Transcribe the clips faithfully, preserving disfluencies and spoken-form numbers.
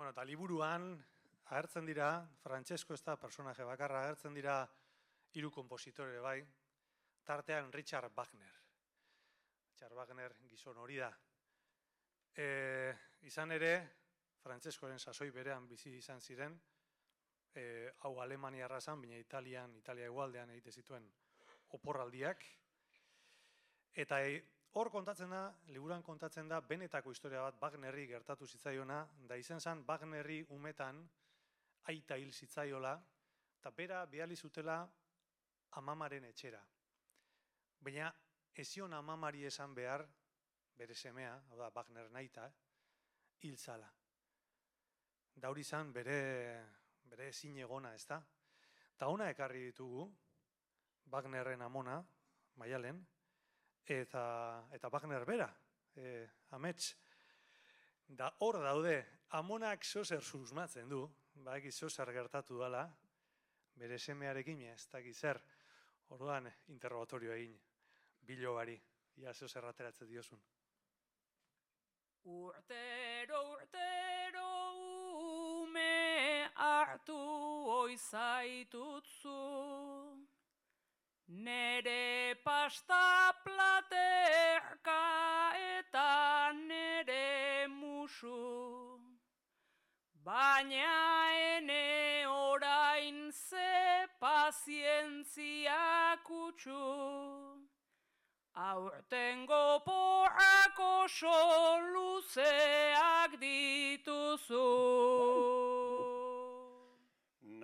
Bueno, eta liburuan agertzen dira, Francesco ez da personaje bakarra, agertzen dira hiru konpositore bai, tartean Richard Wagner. Richard Wagner gizon hori da. E, izan ere, Francescoren sasoi berean bizi izan ziren, e, hau Alemania arrazan, baina Italian, Italia egualdean egite zituen oporraldiak. Eta e, hor kontatzen da, liburuan kontatzen da, benetako historia bat Wagnerri gertatu zitzaiona, da izen zen Wagnerri umetan aita hil zitzaiola, eta bera bihali zutela amamaren etxera. Baina ezion amamari esan behar, bere semea, hau da Wagner naita, hil zala. Da hori zan bere, bere ezin egona, ez da? Eta ona ekarri ditugu, Wagnerren amona, Maialen, eta, eta Wagner bera, e, amets. Da hor daude, amonak zozer susmatzen du, baiki zozer gertatu dela, bere semearekin, ez dakit zer, orduan interrogatorio egin, bilobari, ia zozer ateratzen diozun. Urtero, urtero, ume hartu oizaitutzu, nere pasta platerka eta nere musu, baina ene orain ze pazientzia kutsu, aurtengo porrak oso luzeak dituzu.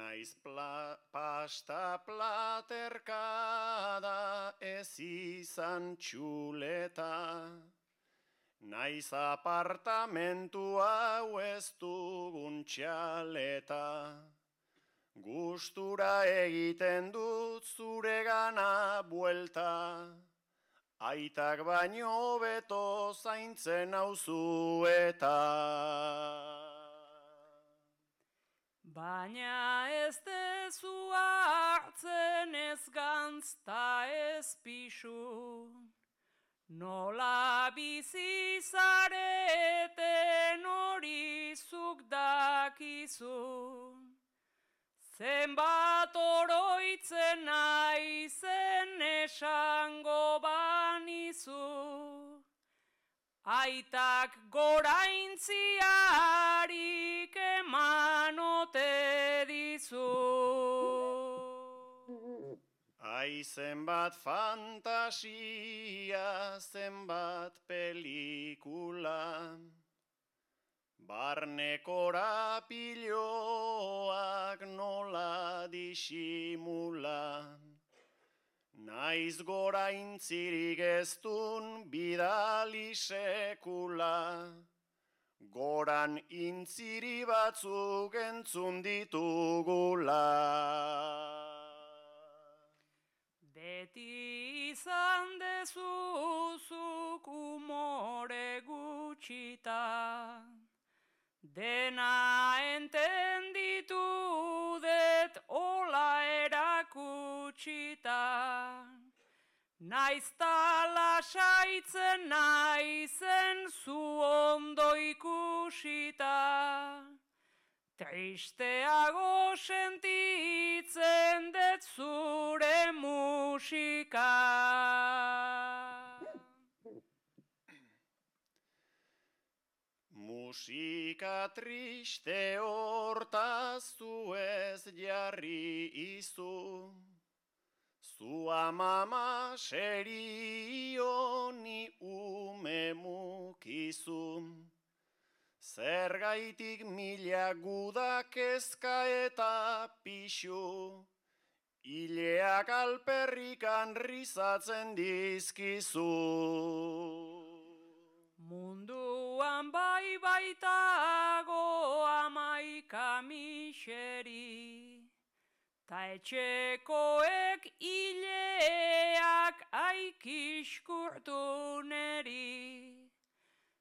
Naiz pla, pasta platerka da ez izan txuleta, naiz apartamentu hau ez dugun txaleta, gustura egiten dut zure gana buelta, aitak baino beto zaintzen nauzu eta. Baina ez dezu hartzen ez gantz ta ez pisu, nola bizi zareten hori zuk dakizu, zenbat oroitzen naizen esango banizu, aitak goraintziarik eman ote dizu. Ai zenbat fantasia, zenbat pelikula, barne korapiloak nola disimula, naiz goraintzirik ez dun bidali sekula, goran intziri batzuk entzun ditugula. Beti izan dezuzuk umore gutxita, dena entenditu det ola erakutsita, naizta lasaitzen naizen zu ondo ikusita, tristeago sentitzen det zure musika. Musika triste hortaz zu ez jarri izu, zu amama serio ni ume mukizu, zergaitik mila gudak kezka eta pixu, hileak alperrikan rizatzen dizkizu. Munduan bai baitago amaika miseri, ta etxekoek hileak aikiskurtu neri,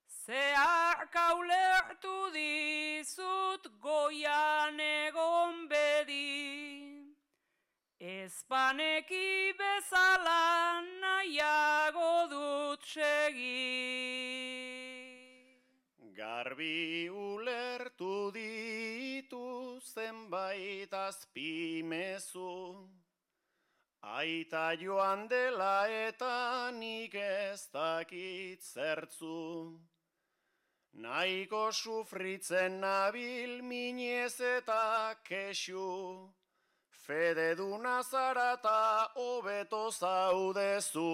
zehark ulertu dizut goian egon bedi, ezpaneki bezala nahiago dut segi. Garbi ulertu di Aita joan dela eta nik ez dakit zertzu. Nahiko sufritzen nabil minez eta kexu. Fede duna zara eta hobeto zaudezu.